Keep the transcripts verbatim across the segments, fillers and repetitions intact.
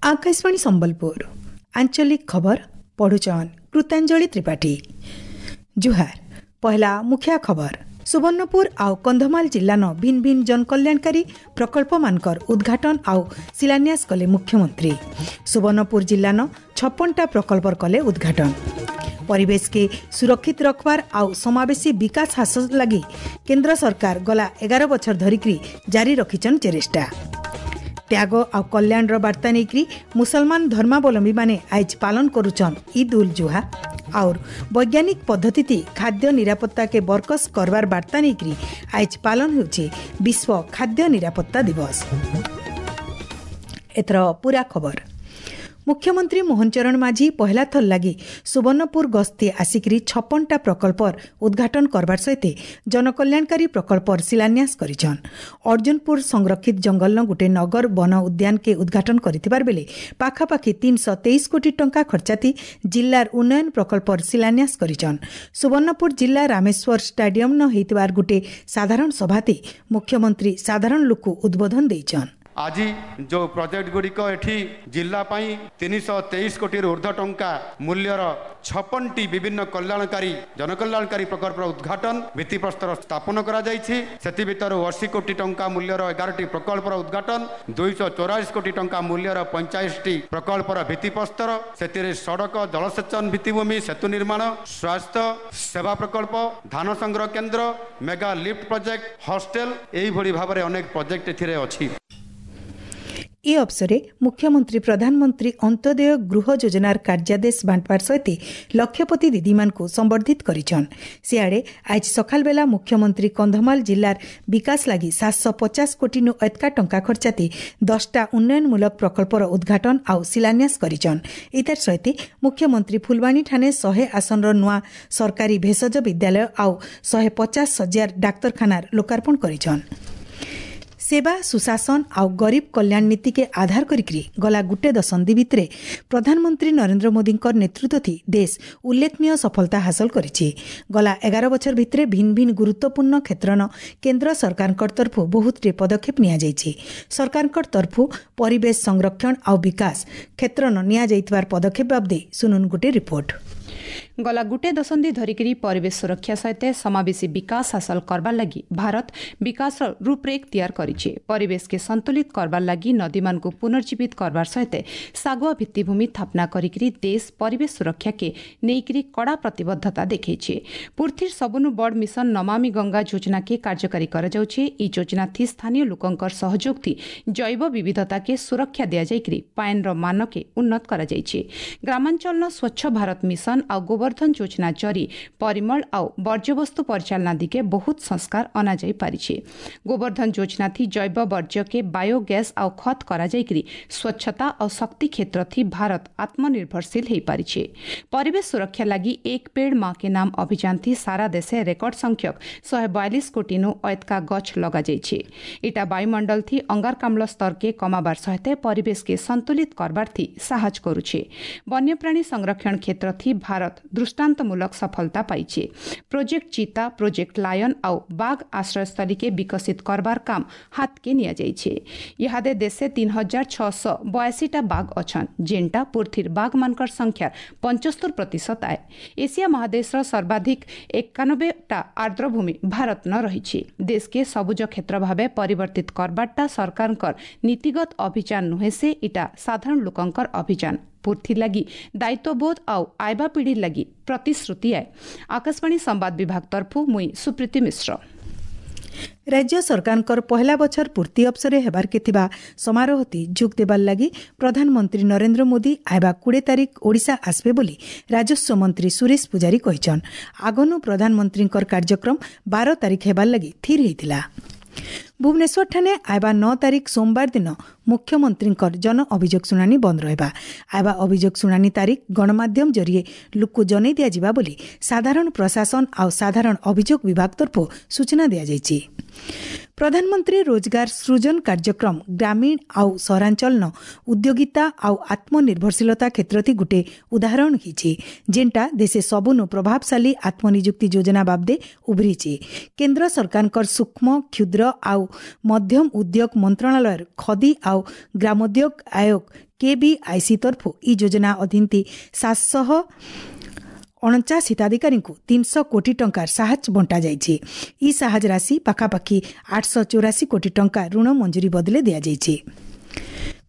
ଆକାଶବାଣୀ ସମ୍ବଲପୁର ଆଞ୍ଚଳିକ ଖବର ପଢୁଛନ୍ କୃତାଞ୍ଜଳି ତ୍ରିପାଠୀ ଜୁହାର ପହଲା ମୁଖ୍ୟ ଖବର ସୁବର୍ଣ୍ଣପୁର ଆଉ କନ୍ଧମାଳ ଜିଲ୍ଲାନ ଭିନ୍ ଭିନ୍ ଜନକଲ୍ୟାଣକାରୀ ପ୍ରକଳ୍ପମାନଙ୍କର ଉଦ୍ଘାଟନ ଆଉ ଶିଳାନ୍ୟାସ କଲେ ମୁଖ୍ୟମନ୍ତ୍ରୀ ସୁବର୍ଣ୍ଣପୁର ଜିଲ୍ଲାନ ଛପନଟା ପ୍ରକଳ୍ପର କଲେ ଉଦ୍ଘାଟନ ପରିବେଶକେ ସୁରକ୍ଷିତ ରଖବାର ଆଉ ସମାବେଶୀ ବିକାଶ ହାସଲ ଲାଗି କେନ୍ଦ୍ର ସରକାର ଗଲା ଏଗାର ବଛର ଧରିକରି ଜାରି ରଖିଛନ୍ ଚେଷ୍ଟା ତ୍ୟାଗ ଆଉ କଲ୍ୟାଣର ବାର୍ତ୍ତା ନେଇକରି ମୁସଲମାନ ଧର୍ମାବଲମ୍ବୀମାନେ ଆଇଜ ପାଳନ କରୁଛନ୍ ଇଦ୍ ଉଲ୍ ଜୁହା और ବୈଜ୍ଞାନିକ ପଦ୍ଧତି ଖାଦ୍ୟ ନିରାପତ୍ତାକେ ବରକସ କରବାର ବାର୍ତ୍ତା ନେଇକରି ଆଇଜ ପାଳନ ହେଉଛି ବିଶ୍ୱ ଖାଦ୍ୟ ନିରାପତ୍ତା ଦିବସ ଏଥର ପୁରା ଖବର ମୁଖ୍ୟମନ୍ତ୍ରୀ ମୋହନ ଚରଣ ମାଝୀ ପହଲା ଥର ଲାଗି ସୁବର୍ଣ୍ଣପୁର ଗସ୍ତି ଆସିକରି ଛପନଟା ପ୍ରକଳ୍ପର ଉଦ୍ଘାଟନ କରବାର ସହିତ ଜନକଲ୍ୟାଣକାରୀ ପ୍ରକଳ୍ପର ଶିଳାନ୍ୟାସ କରିଛନ୍ ଅର୍ଜୁନପୁର ସଂରକ୍ଷିତ ଜଙ୍ଗଲନ ଗୋଟେ ନଗର ବନ ଉଦ୍ୟାନକେ ଉଦ୍ଘାଟନ କରିଥିବାର ବେଲେ ପାଖାପାଖି ତିନିଶହ ତେଇଶ କୋଟି ଟଙ୍କା ଖର୍ଚ୍ଚାତି ଜିଲ୍ଲାର ଉନ୍ନୟନ ପ୍ରକଳ୍ପର ଶିଳାନ୍ୟାସ କରିଛନ୍ ସୁବର୍ଣ୍ଣପୁର ଜିଲ୍ଲା ରାମେଶ୍ୱର ଷ୍ଟାଡିୟମ୍ନ ହେଇଥିବାର ଗୋଟେ ସାଧାରଣ ସଭାତି ମୁଖ୍ୟମନ୍ତ୍ରୀ ସାଧାରଣ ଲୋକ ଉଦ୍ବୋଧନ ଦେଇଛନ୍ ଆଜି ଯେଉଁ ପ୍ରୋଜେକ୍ଟ ଗୁଡ଼ିକ ଏଠି ଜିଲ୍ଲା ପାଇଁ ତିନିଶହ ତେଇଶ କୋଟିରୁ ଉର୍ଦ୍ଧ୍ୱ ଟଙ୍କା ମୂଲ୍ୟର ଛପନଟି ବିଭିନ୍ନ କଲ୍ୟାଣକାରୀ ଜନକଲ୍ୟାଣକାରୀ ପ୍ରକଳ୍ପର ଉଦ୍ଘାଟନ ଭିତ୍ତିପ୍ରସ୍ତର ସ୍ଥାପନ କରାଯାଇଛି ସେଥି ଭିତରୁ ଅଶୀ କୋଟି ଟଙ୍କା ମୂଲ୍ୟର ଏଗାରଟି ପ୍ରକଳ୍ପର ଉଦ୍ଘାଟନ ଦୁଇଶହ ଚଉରାଳିଶ କୋଟି ଟଙ୍କା ମୂଲ୍ୟର ପଇଁଚାଳିଶଟି ପ୍ରକଳ୍ପର ଭିତ୍ତିପ୍ରସ୍ତର ସେଥିରେ ସଡ଼କ ଜଳସେଚନ ଭିତ୍ତିଭୂମି ସେତୁ ନିର୍ମାଣ ସ୍ୱାସ୍ଥ୍ୟ ସେବା ପ୍ରକଳ୍ପ ଧାନ ସଂଗ୍ରହ କେନ୍ଦ୍ର ମେଗା ଲିଫ୍ଟ ପ୍ରୋଜେକ୍ଟ ହଷ୍ଟେଲ ଏଇଭଳି ଭାବରେ ଅନେକ ପ୍ରୋଜେକ୍ଟ ଏଥିରେ ଅଛି ଏ ଅବସରେ ମୁଖ୍ୟମନ୍ତ୍ରୀ ପ୍ରଧାନମନ୍ତ୍ରୀ ଅନ୍ତ୍ୟୋଦୟ ଗୃହ ଯୋଜନାର କାର୍ଯ୍ୟାଦେଶ ବାଣ୍ଟବାର ସହିତ ଲକ୍ଷପତି ଦିଦିମାନଙ୍କୁ ସମ୍ବର୍ଦ୍ଧିତ କରିଛନ୍ ସିଆଡ଼େ ଆଜି ସକାଳବେଲା ମୁଖ୍ୟମନ୍ତ୍ରୀ କନ୍ଧମାଳ ଜିଲ୍ଲାର ବିକାଶ ଲାଗି ସାତଶହ ପଚାଶ କୋଟିନୁ ଏତକା ଟଙ୍କା ଖର୍ଚ୍ଚାତି ଦଶଟା ଉନ୍ନୟନମୂଳକ ପ୍ରକଳ୍ପର ଉଦ୍ଘାଟନ ଆଉ ଶିଳାନ୍ୟାସ କରିଛନ୍ ଏତାର ସହିତ ମୁଖ୍ୟମନ୍ତ୍ରୀ ଫୁଲବାଣୀଠାନେ ଶହେ ଆସନର ନୂଆ ସରକାରୀ ଭେଷଜ ବିଦ୍ୟାଳୟ ଆଉ ଶହେ ପଚାଶ ଶଯ୍ୟାର ଡାକ୍ତରଖାନାର ଲୋକାର୍ପଣ କରିଛନ୍ ସେବା ସୁଶାସନ ଆଉ ଗରିବ କଲ୍ୟାଣ ନୀତିକେ ଆଧାର କରିକରି ଗଲା ଗୁଟେ ଦଶନ୍ଧି ଭିତରେ ପ୍ରଧାନମନ୍ତ୍ରୀ ନରେନ୍ଦ୍ର ମୋଦିଙ୍କର ନେତୃତ୍ୱ ଦେଶ ଉଲ୍ଲେଖନୀୟ ସଫଳତା ହାସଲ କରିଛି ଗଲା ଏଗାର ବଛର ଭିତରେ ଭିନ୍ ଭିନ୍ ଗୁରୁତ୍ୱପୂର୍ଣ୍ଣ କ୍ଷେତ୍ରନ କେନ୍ଦ୍ର ସରକାରଙ୍କ ତରଫରୁ ବହୁତଟେ ପଦକ୍ଷେପ ନିଆଯାଇଛି ସରକାରଙ୍କ ତରଫରୁ ପରିବେଶ ସଂରକ୍ଷଣ ଆଉ ବିକାଶ କ୍ଷେତ୍ରନ ନିଆଯାଇଥିବାର ପଦକ୍ଷେପ ବାବଦେ ଶୁନୁନ୍ ଗୁଟେ ରିପୋର୍ଟ ଗଲା ଗୁଟେ ଦଶନ୍ଧି ଧରିକରି ପରିବେଶ ସୁରକ୍ଷା ସହିତ ସମାବେଶୀ ବିକାଶ ହାସଲ କରବାର ଲାଗି ଭାରତ ବିକାଶର ରୂପରେଖ ତିଆର କରିଛି ପରିବେଶକେ ସନ୍ତୁଳିତ କରବାର ଲାଗି ନଦୀମାନଙ୍କୁ ପୁନର୍ଜୀବିତ କରବାର ସହିତ ଶାଗୁଆ ଭିତ୍ତିଭୂମି ସ୍ଥାପନା କରିକରି ଦେଶ ପରିବେଶ ସୁରକ୍ଷାକେ ନେଇକରି କଡ଼ା ପ୍ରତିବଦ୍ଧତା ଦେଖେଇଛି ପୃଥିବୀର ସବୁନୁ ବଡ଼ ମିଶନ ନମାମି ଗଙ୍ଗା ଯୋଜନାକେ କାର୍ଯ୍ୟକାରୀ କରାଯାଉଛି ଏହି ଯୋଜନା ଥି ସ୍ଥାନୀୟ ଲୋକଙ୍କର ସହଯୋଗ ଥି ଜୈବ ବିବିଧତାକେ ସୁରକ୍ଷା ଦିଆଯାଇକରି ପାଏନ୍ର ମାନକେ ଉନ୍ନତ କରାଯାଇଛି ଗ୍ରାମାଞ୍ଚଳର ସ୍ୱଚ୍ଛ ଭାରତ ମିଶନ ଆଉ ଗୋବର୍ଦ୍ଧନ ଯୋଜନା ଜରି ପରିମଳ ଆଉ ବର୍ଜ୍ୟବସ୍ତୁ ପରିଚାଳନା ଦିଗେ ବହୁତ ସଂସ୍କାର ଅଣାଯାଇ ପାରିଛି ଗୋବର୍ଦ୍ଧନ ଯୋଜନା ଥି ଜୈବ ବର୍ଜ୍ୟକେ ବାୟୋଗ୍ୟାସ୍ ଆଉ ଖତ କରାଯାଇକରି ସ୍ୱଚ୍ଛତା ଆଉ ଶକ୍ତି କ୍ଷେତ୍ର ଥି ଭାରତ ଆତ୍ମନିର୍ଭରଶୀଳ ହୋଇପାରିଛି ପରିବେଶ ସୁରକ୍ଷା ଲାଗି ଏକ ପେଡ଼ ମା କେ ନାମ ଅଭିଯାନ ଥି ସାରା ଦେଶେ ରେକର୍ଡ ସଂଖ୍ୟକ ଶହେ ବୟାଳିଶ କୋଟିନୁ ଅଏତକା ଗଛ ଲଗାଯାଇଛି ଇଟା ବାୟୁମଣ୍ଡଳ ଥି ଅଙ୍ଗାରକାମ୍ଳ ସ୍ତରକେ କମାବାର ସହିତ ପରିବେଶକେ ସନ୍ତୁଳିତ କରବାର ଥି ସାହାଯ୍ୟ କରୁଛି ବନ୍ୟପ୍ରାଣୀ ସଂରକ୍ଷଣ କ୍ଷେତ୍ର ଥି ଭାରତ ଦୃଷ୍ଟାନ୍ତମୂଳକ ସଫଳତା ପାଇଛି ପ୍ରୋଜେକ୍ଟ ଚିତା ପ୍ରୋଜେକ୍ଟ ଲାୟନ ଆଉ ବାଘ ଆଶ୍ରୟସ୍ଥଳୀକେ ବିକଶିତ କରବାର କାମ ହାତକେ ନିଆଯାଇଛି ଇହାଦେ ଦେଶେ ତିନି ହଜାର ଛଅଶହ ବୟାଅଶୀଟା ବାଘ ଅଛନ୍ ଯେନ୍ଟା ପୃଥିବୀର ବାଘମାନଙ୍କର ସଂଖ୍ୟାର ପଞ୍ଚସ୍ତରୀ ପ୍ରତିଶତ ଆଏ ଏସିଆ ମହାଦେଶର ସର୍ବାଧିକ ଏକାନବେଟା ଆର୍ଦ୍ରଭୂମି ଭାରତନ ରହିଛି ଦେଶକେ ସବୁଜ କ୍ଷେତ୍ର ଭାବେ ପରିବର୍ତ୍ତିତ କରବାରଟା ସରକାରଙ୍କର ନୀତିଗତ ଅଭିଯାନ ନୁହେଁ ସେ ଇଟା ସାଧାରଣ ଲୋକଙ୍କର ଅଭିଯାନ ପୂର୍ତ୍ତି ଲାଗି ଦାୟିତ୍ୱବୋଧ ଆଉ ଆଇବା ପିଢ଼ି ଲାଗି ପ୍ରତିଶ୍ରୁତି ଆଏ ଆକାଶବାଣୀ ସମ୍ବାଦ ବିଭାଗ ତରଫୁ ମୁଇଁ ସୁପ୍ରୀତି ମିଶ୍ର ରାଜ୍ୟ ସରକାରଙ୍କର ପହଲା ବଛର ପୂର୍ତ୍ତି ଅବସରେ ହେବାର୍କେ ଥିବା ସମାରୋହତି ଯୋଗ ଦେବାର ଲାଗି ପ୍ରଧାନମନ୍ତ୍ରୀ ନରେନ୍ଦ୍ର ମୋଦି ଆଇବା କୋଡ଼ିଏ ତାରିଖ ଓଡ଼ିଶା ଆସିବେ ବୋଲି ରାଜସ୍ୱ ମନ୍ତ୍ରୀ ସୁରେଶ ପୂଜାରୀ କହିଛନ୍ ଆଗନୁ ପ୍ରଧାନମନ୍ତ୍ରୀଙ୍କର କାର୍ଯ୍ୟକ୍ରମ ବାର ତାରିଖ ହେବାର ଲାଗି ସ୍ଥିର ହୋଇଥିଲା ଭୁବନେଶ୍ୱରଠାନେ ଆଇବା ନଅ ତାରିଖ ସୋମବାର ଦିନ ମୁଖ୍ୟମନ୍ତ୍ରୀଙ୍କର ଜନ ଅଭିଯୋଗ ଶୁଣାଣି ବନ୍ଦ ରହିବା ଆଇବା ଅଭିଯୋଗ ଶୁଣାଣି ତାରିଖ ଗଣମାଧ୍ୟମ ଜରିଏ ଲୋକକୁ ଜଣାଇ ଦିଆଯିବା ବୋଲି ସାଧାରଣ ପ୍ରଶାସନ ଆଉ ସାଧାରଣ ଅଭିଯୋଗ ବିଭାଗ ତରଫରୁ ସୂଚନା ଦିଆଯାଇଛି ପ୍ରଧାନମନ୍ତ୍ରୀ ରୋଜଗାର ସୃଜନ କାର୍ଯ୍ୟକ୍ରମ ଗ୍ରାମୀଣ ଆଉ ସହରାଞ୍ଚଳନ ଉଦ୍ୟୋଗିତା ଆଉ ଆତ୍ମନିର୍ଭରଶୀଳତା କ୍ଷେତ୍ରଥି ଗୁଟେ ଉଦାହରଣ ହେଇଛି, ଯେନ୍ଟା ଦେଶେ ସବୁନୁ ପ୍ରଭାବଶାଳୀ ଆତ୍ମନିଯୁକ୍ତି ଯୋଜନା ବାବଦେ ଉଭରିଛି। କେନ୍ଦ୍ର ସରକାରଙ୍କର ସୂକ୍ଷ୍ମ, କ୍ଷୁଦ୍ର ଆଉ ମଧ୍ୟମ ଉଦ୍ୟୋଗ ମନ୍ତ୍ରଣାଳୟର ଖଦି ଆଉ ଗ୍ରାମୋଦ୍ୟୋଗ ଆୟୋଗ କେବିଆଇସି ତରଫୁ ଇ ଯୋଜନା ଅଧୀନତି ସାତଶହ ଅଣଚାଶ ହିତାଧିକାରୀଙ୍କୁ ତିନିଶହ କୋଟି ଟଙ୍କାର ସାହାଯ୍ୟ ବଣ୍ଟାଯାଇଛି। ଇ ସାହାଯ୍ୟ ରାଶି ପାଖାପାଖି ଆଠଶହ ଚଉରାଶୀ କୋଟି ଟଙ୍କା ଋଣ ମଞ୍ଜୁରୀ ବଦଲେ ଦିଆଯାଇଛି।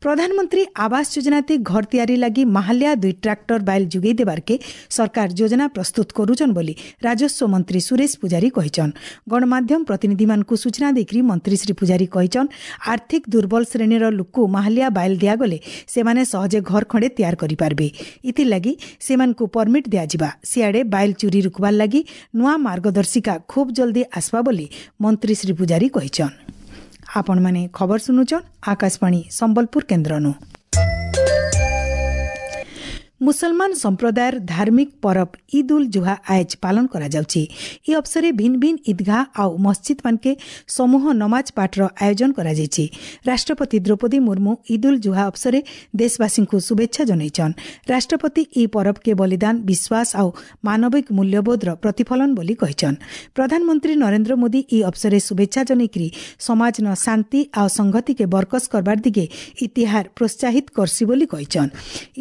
ପ୍ରଧାନମନ୍ତ୍ରୀ ଆବାସ ଯୋଜନାତି ଘର ତିଆରି ଲାଗି ମାହାଲିଆ ଦୁଇ ଟ୍ରାକ୍ଟର ବାଇଲ ଯୋଗାଇ ଦେବାର୍କେ ସରକାର ଯୋଜନା ପ୍ରସ୍ତୁତ କରୁଛନ୍ ବୋଲି ରାଜସ୍ୱ ମନ୍ତ୍ରୀ ସୁରେଶ ପୂଜାରୀ କହିଛନ୍। ଗଣମାଧ୍ୟମ ପ୍ରତିନିଧିମାନଙ୍କୁ ସୂଚନା ଦେଇକରି ମନ୍ତ୍ରୀ ଶ୍ରୀ ପୂଜାରୀ କହିଛନ୍, ଆର୍ଥିକ ଦୁର୍ବଳ ଶ୍ରେଣୀର ଲୋକକୁ ମାହାଲିଆ ବାଇଲ ଦିଆଗଲେ ସେମାନେ ସହଜେ ଘର ଖଣ୍ଡେ ତିଆର କରିପାରିବେ। ଏଥିଲାଗି ସେମାନଙ୍କୁ ପରମିଟ୍ ଦିଆଯିବା। ସିଆଡ଼େ ବାଇଲ ଚୋରି ରୋକବାର ଲାଗି ନୂଆ ମାର୍ଗଦର୍ଶିକା ଖୁବ୍ ଜଲ୍ଦି ଆସବା ବୋଲି ମନ୍ତ୍ରୀ ଶ୍ରୀ ପୂଜାରୀ କହିଛନ୍। ଆପଣମାନେ ଖବର ଶୁଣୁଛନ୍ ଆକାଶବାଣୀ ସମ୍ବଲପୁର କେନ୍ଦ୍ରନୁ। ମୁସଲମାନ ସମ୍ପ୍ରଦାୟର ଧାର୍ମିକ ପରବ ଇଦ୍ ଉଲ୍ ଜୁହା ଆଏଜ ପାଳନ କରାଯାଉଛି। ଏହି ଅବସରରେ ଭିନ୍ନ ଭିନ୍ନ ঈদଗାহ ଆଉ ମସଜିଦ୍ ମାନକେ ସମୂହ ନମାଜ ପାଠର ଆୟୋଜନ କରାଯାଇଛି। ରାଷ୍ଟ୍ରପତି ଦ୍ରୌପଦୀ ମୁର୍ମୁ ଇଦ୍ ଉଲ୍ ଜୁହା ଅବସରରେ ଦେଶବାସୀଙ୍କୁ ଶୁଭେଚ୍ଛା ଜଣାଇଛନ୍। ରାଷ୍ଟ୍ରପତି ଏହି ପରବକେ ବଳିଦାନ, ବିଶ୍ୱାସ ଆଉ ମାନବିକ ମୂଲ୍ୟବୋଧର ପ୍ରତିଫଳନ ବୋଲି କହିଛନ୍। ପ୍ରଧାନମନ୍ତ୍ରୀ ନରେନ୍ଦ୍ର ମୋଦି ଏହି ଅବସରରେ ଶୁଭେଚ୍ଛା ଜଣାଇକରି ସମାଜନ ଶାନ୍ତି ଆଉ ସଂହତିକେ ବରକସ କରବାର ଦିଗେ ଇତିହାର ପ୍ରୋତ୍ସାହିତ କରସି ବୋଲି କହିଛନ୍।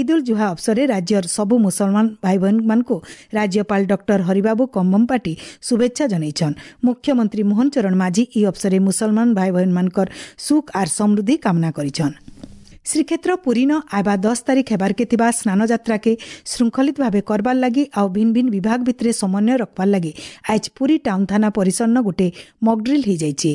ଇଦ୍ ଉଲ୍ ଜୁହା ଅବସରରେ ରାଜ୍ୟର ସବୁ ମୁସଲମାନ ଭାଇ ଭଉଣୀମାନଙ୍କୁ ରାଜ୍ୟପାଳ ଡକ୍ଟର ହରିବାବୁ କମ୍ଭମପାଟି ଶୁଭେଚ୍ଛା ଜଣାଇଛନ୍। ମୁଖ୍ୟମନ୍ତ୍ରୀ ମୋହନ ଚରଣ ମାଝୀ ଏହି ଅବସରରେ ମୁସଲମାନ ଭାଇ ଭଉଣୀମାନଙ୍କର ସୁଖ ଆର୍ ସମୃଦ୍ଧି କାମନା କରିଛନ୍। ଶ୍ରୀକ୍ଷେତ୍ର ପୁରୀନ ଆଇବା ଦଶ ତାରିଖ ହେବାର୍କେ ଥିବା ସ୍ନାନଯାତ୍ରାକେ ଶୃଙ୍ଖଳିତ ଭାବେ କରବାର୍ ଲାଗି ଆଉ ଭିନ୍ନ ଭିନ୍ନ ବିଭାଗ ଭିତରେ ସମନ୍ୱୟ ରଖବାର୍ ଲାଗି ଆଜ୍ ପୁରୀ ଟାଉନ୍ ଥାନା ପରିସରନ ଗୋଟେ ମକଡ୍ରିଲ୍ ହେଇଯାଇଛି।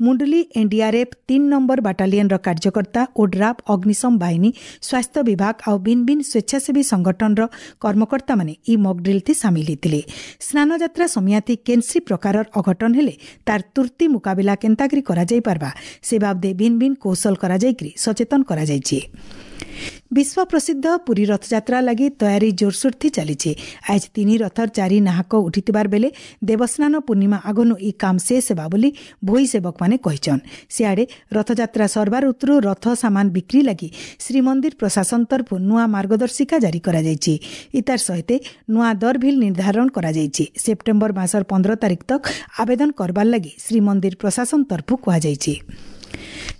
ମୁଣ୍ଡୁଲି ଏନ୍ଡିଆର୍ଏଫ୍ ତିନି ନମ୍ବର ବାଟାଲିୟନର କାର୍ଯ୍ୟକର୍ତ୍ତା, ଓଡ୍ରାଫ୍, ଅଗ୍ନିଶମ ବାହିନୀ, ସ୍ୱାସ୍ଥ୍ୟ ବିଭାଗ ଆଉ ଭିନ୍ନ ଭିନ୍ନ ସ୍ୱେଚ୍ଛାସେବୀ ସଂଗଠନର କର୍ମକର୍ତ୍ତାମାନେ ଇ ମକଡ୍ରିଲ୍ଥି ସାମିଲ ହେଇଥିଲେ। ସ୍ନାନଯାତ୍ରା ସମିଆତି କେନ୍ସି ପ୍ରକାରର ଅଘଟନ ହେଲେ ତାର ତୁର୍ତ୍ତି ମୁକାବିଲା କେନ୍ତାକରି କରାଯାଇପାରବା ସେ ବାବଦେ ଭିନ୍ନ ଭିନ୍ନ କୌଶଳ କରାଯାଇକରି ସଚେତନ କରାଯାଇଛି। ବିଶ୍ୱ ପ୍ରସିଦ୍ଧ ପୁରୀ ରଥଯାତ୍ରା ଲାଗି ତୟାରୀ ଜୋରସୋରଥି ଚାଲିଛି। ଆଜ ତିନି ରଥର ଚାରି ନାହକ ଉଠିଥିବାର ବେଲେ ଦେବସ୍ନାନ ପୂର୍ଣ୍ଣିମା ଆଗନୁ ଇ କାମ ଶେଷ ହେବା ବୋଲି ଭୋଇ ସେବକମାନେ କହିଛନ୍। ସିଆଡ଼େ ରଥଯାତ୍ରା ସରବାର ଉତ୍ତରୁ ରଥ ସାମାନ ବିକ୍ରି ଲାଗି ଶ୍ରୀମନ୍ଦିର ପ୍ରଶାସନ ତରଫରୁ ନୂଆ ମାର୍ଗଦର୍ଶିକା ଜାରି କରାଯାଇଛି। ଇତାର ସହିତ ନୂଆ ଦର ଭିଲ୍ ନିର୍ଦ୍ଧାରଣ କରାଯାଇଛି। ସେପ୍ଟେମ୍ବର ମାସର ପନ୍ଦର ତାରିଖ ତକ ଆବେଦନ କରବାର ଲାଗି ଶ୍ରୀମନ୍ଦିର ପ୍ରଶାସନ ତରଫରୁ କୁହାଯାଇଛି।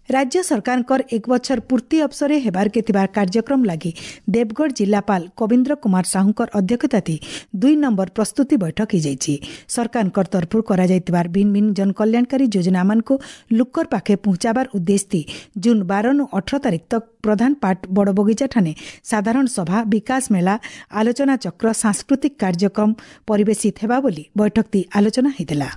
ରାଜ୍ୟ ସରକାରଙ୍କର ଏକ ବଛର ପୂର୍ତ୍ତି ଅବସରରେ ହେବାର୍କେ ଥିବା କାର୍ଯ୍ୟକ୍ରମ ଲାଗି ଦେବଗଡ଼ ଜିଲ୍ଲାପାଳ କବୀନ୍ଦ୍ର କୁମାର ସାହୁଙ୍କର ଅଧ୍ୟକ୍ଷତାରେ ଦୁଇ ନମ୍ବର ପ୍ରସ୍ତୁତି ବୈଠକ ହୋଇଯାଇଛି। ସରକାରଙ୍କର ତରଫରୁ କରାଯାଇଥିବା ଭିନ୍ନ ଭିନ୍ନ ଜନକଲ୍ୟାଣକାରୀ ଯୋଜନାମାନଙ୍କୁ ଲୋକର ପାଖେ ପହଞ୍ଚାବାର ଉଦ୍ଦେଶ୍ୟ ଜୁନ୍ ବାରନୁ ଅଠର ତାରିଖ ତକ ପ୍ରଧାନ ପାଟ ବଡ଼ବଗିଚା ଠାନେ ସାଧାରଣ ସଭା, ବିକାଶ ମେଳା, ଆଲୋଚନା ଚକ୍ର, ସାଂସ୍କୃତିକ କାର୍ଯ୍ୟକ୍ରମ ପରିବେଶିତ ହେବା ବୋଲି ବୈଠକଟି ଆଲୋଚନା ହୋଇଥିଲା।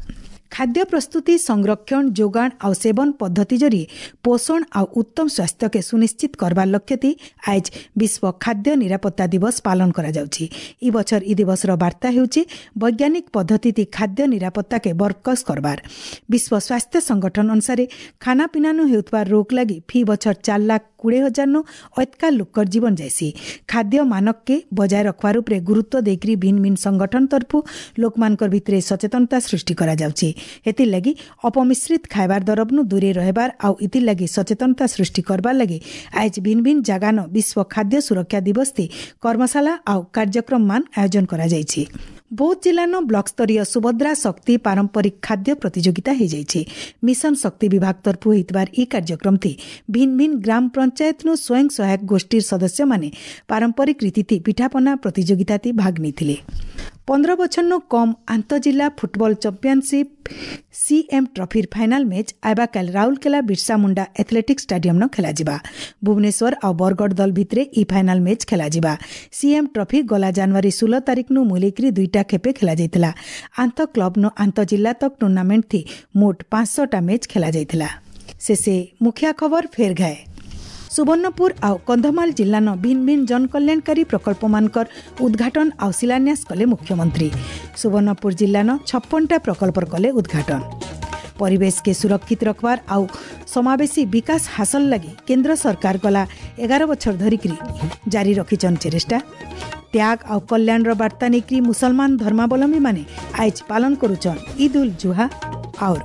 ଖାଦ୍ୟ ପ୍ରସ୍ତୁତି, ସଂରକ୍ଷଣ, ଯୋଗାଣ ଆଉ ସେବନ ପଦ୍ଧତି ଜରିଏ ପୋଷଣ ଆଉ ଉତ୍ତମ ସ୍ୱାସ୍ଥ୍ୟକେ ସୁନିଶ୍ଚିତ କରବାର ଲକ୍ଷ୍ୟତି ଆଜ ବିଶ୍ୱ ଖାଦ୍ୟ ନିରାପତ୍ତା ଦିବସ ପାଳନ କରାଯାଉଛି। ଇ ବଛର ଇ ଦିବସର ବାର୍ତ୍ତା ହେଉଛି ବୈଜ୍ଞାନିକ ପଦ୍ଧତିତି ଖାଦ୍ୟ ନିରାପତ୍ତାକେ ବରକସ କରବାର। ବିଶ୍ୱ ସ୍ୱାସ୍ଥ୍ୟ ସଂଗଠନ ଅନୁସାରେ ଖାନାପିନାନୁ ହେଉଥିବା ରୋଗ ଲାଗି ଫି ବଛର ଚାର ଲାଖ କୋଡ଼ିଏ ହଜାରନୁ ଅତକା ଲୋକର ଜୀବନ ଯାଏସି। ଖାଦ୍ୟ ମାନକକେ ବଜାୟ ରଖବାର ଉପରେ ଗୁରୁତ୍ୱ ଦେଇକରି ଭିନ୍ନ ଭିନ୍ନ ସଂଗଠନ ତରଫରୁ ଲୋକମାନଙ୍କର ଭିତରେ ସଚେତନତା ସୃଷ୍ଟି କରାଯାଉଛି। ଏଥିର୍ଲାଗି ଅପମିଶ୍ରିତ ଖାଇବାର ଦରବନୁ ଦୂରେ ରହିବାର ଆଉ ଇଥିର୍ଲାଗି ସଚେତନତା ସୃଷ୍ଟି କରବାର ଲାଗି ଆଜ ଭିନ୍ନ ଭିନ୍ନ ଜାଗାନ ବିଶ୍ୱ ଖାଦ୍ୟ ସୁରକ୍ଷା ଦିବସ କର୍ମଶାଳା ଆଉ କାର୍ଯ୍ୟକ୍ରମ ମାନ ଆୟୋଜନ କରାଯାଇଛି। ବୌଦ୍ଧ ଜିଲ୍ଲାନ ବ୍ଲକ ସ୍ତରୀୟ ସୁଭଦ୍ରା ଶକ୍ତି ପାରମ୍ପରିକ ଖାଦ୍ୟ ପ୍ରତିଯୋଗିତା ହୋଇଯାଇଛି। ମିଶନ ଶକ୍ତି ବିଭାଗ ତରଫରୁ ହୋଇଥିବାର ଏହି କାର୍ଯ୍ୟକ୍ରମଟି ଭିନ୍ନ ଭିନ୍ନ ଗ୍ରାମ ପଞ୍ଚାୟତନୁ ସ୍ୱୟଂ ସହାୟକ ଗୋଷ୍ଠୀର ସଦସ୍ୟମାନେ ପାରମ୍ପରିକ ରୀତିଥି ପିଠାପନା ପ୍ରତିଯୋଗିତାତି ଭାଗ ନେଇଥିଲେ। ପନ୍ଦର ବଛରନୁ କମ୍ ଆନ୍ତଃଜିଲ୍ଲା ଫୁଟବଲ ଚାମ୍ପିୟନସିପ୍ ସିଏମ୍ ଟ୍ରଫିର final match ଆଇବାକାଲ Rourkela Birsa Munda athletic ଷ୍ଟାଡିୟମ୍ନ ଖେଳାଯିବା। Bhubaneswar ଆଉ ବରଗଡ଼ ଦଳ ଭିତରେ ଇ ଫାଇନାଲ ମ୍ୟାଚ୍ ଖେଳାଯିବା। ସିଏମ୍ ଟ୍ରଫି ଗଲା ଜାନୁଆରୀ ଷୋହଳ ତାରିଖନୁ ମୁଲେଇକରି ଦୁଇଟା ଖେପେ ଖେଳାଯାଇଥିଲା। ଆନ୍ତଃ କ୍ଲବ୍ନୁ ଆନ୍ତଃଜିଲ୍ଲା ତକ୍ ଟୁର୍ଣ୍ଣାମେଣ୍ଟ ଥି ମୋଟ ପାଞ୍ଚଶହଟା ମ୍ୟାଚ୍ ଖେଳାଯାଇଥିଲା। ଶେଷେ ମୁଖିଆ ଖବର ଫେର୍ ଘାଏ। ସୁବର୍ଣ୍ଣପୁର ଆଉ କନ୍ଧମାଳ ଜିଲ୍ଲାନ ଭିନ୍ନ ଭିନ୍ନ ଜନକଲ୍ୟାଣକାରୀ ପ୍ରକଳ୍ପମାନଙ୍କର ଉଦ୍ଘାଟନ ଆଉ ଶିଳାନ୍ୟାସ କଲେ ମୁଖ୍ୟମନ୍ତ୍ରୀ। ସୁବର୍ଣ୍ଣପୁର ଜିଲ୍ଲାନ ଛପନଟା ପ୍ରକଳ୍ପର କଲେ ଉଦ୍ଘାଟନ। ପରିବେଶକେ ସୁରକ୍ଷିତ ରଖବାର ଆଉ ସମାବେଶୀ ବିକାଶ ହାସଲ ଲାଗି କେନ୍ଦ୍ର ସରକାର ଗଲା ଏଗାର ବଛର ଧରିକିରି ଜାରି ରଖିଛନ୍ ଚେଷ୍ଟା। ତ୍ୟାଗ ଆଉ କଲ୍ୟାଣର ବାର୍ତ୍ତା ନେଇକରି ମୁସଲମାନ ଧର୍ମାବଲମ୍ବୀମାନେ ଆଇଜ ପାଳନ କରୁଛନ୍ ଇଦ୍ ଉଲ୍ ଜୁହା। और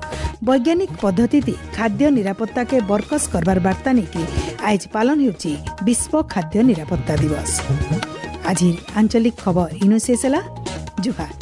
ବୈଜ୍ଞାନିକ ପଦ୍ଧତି ଖାଦ୍ୟ ନିରାପତ୍ତାକେ ବରକସ କରବାର ବାର୍ତ୍ତା ନେଇକି ଆଜ ପାଳନ ହେଉଛି ବିଶ୍ୱ ଖାଦ୍ୟ ନିରାପତ୍ତା ଦିବସ। ଆଜିର ଆଞ୍ଚଳିକ ଖବର ଇନୁ ଶେଷ ହେଲା। ଜୁହାର।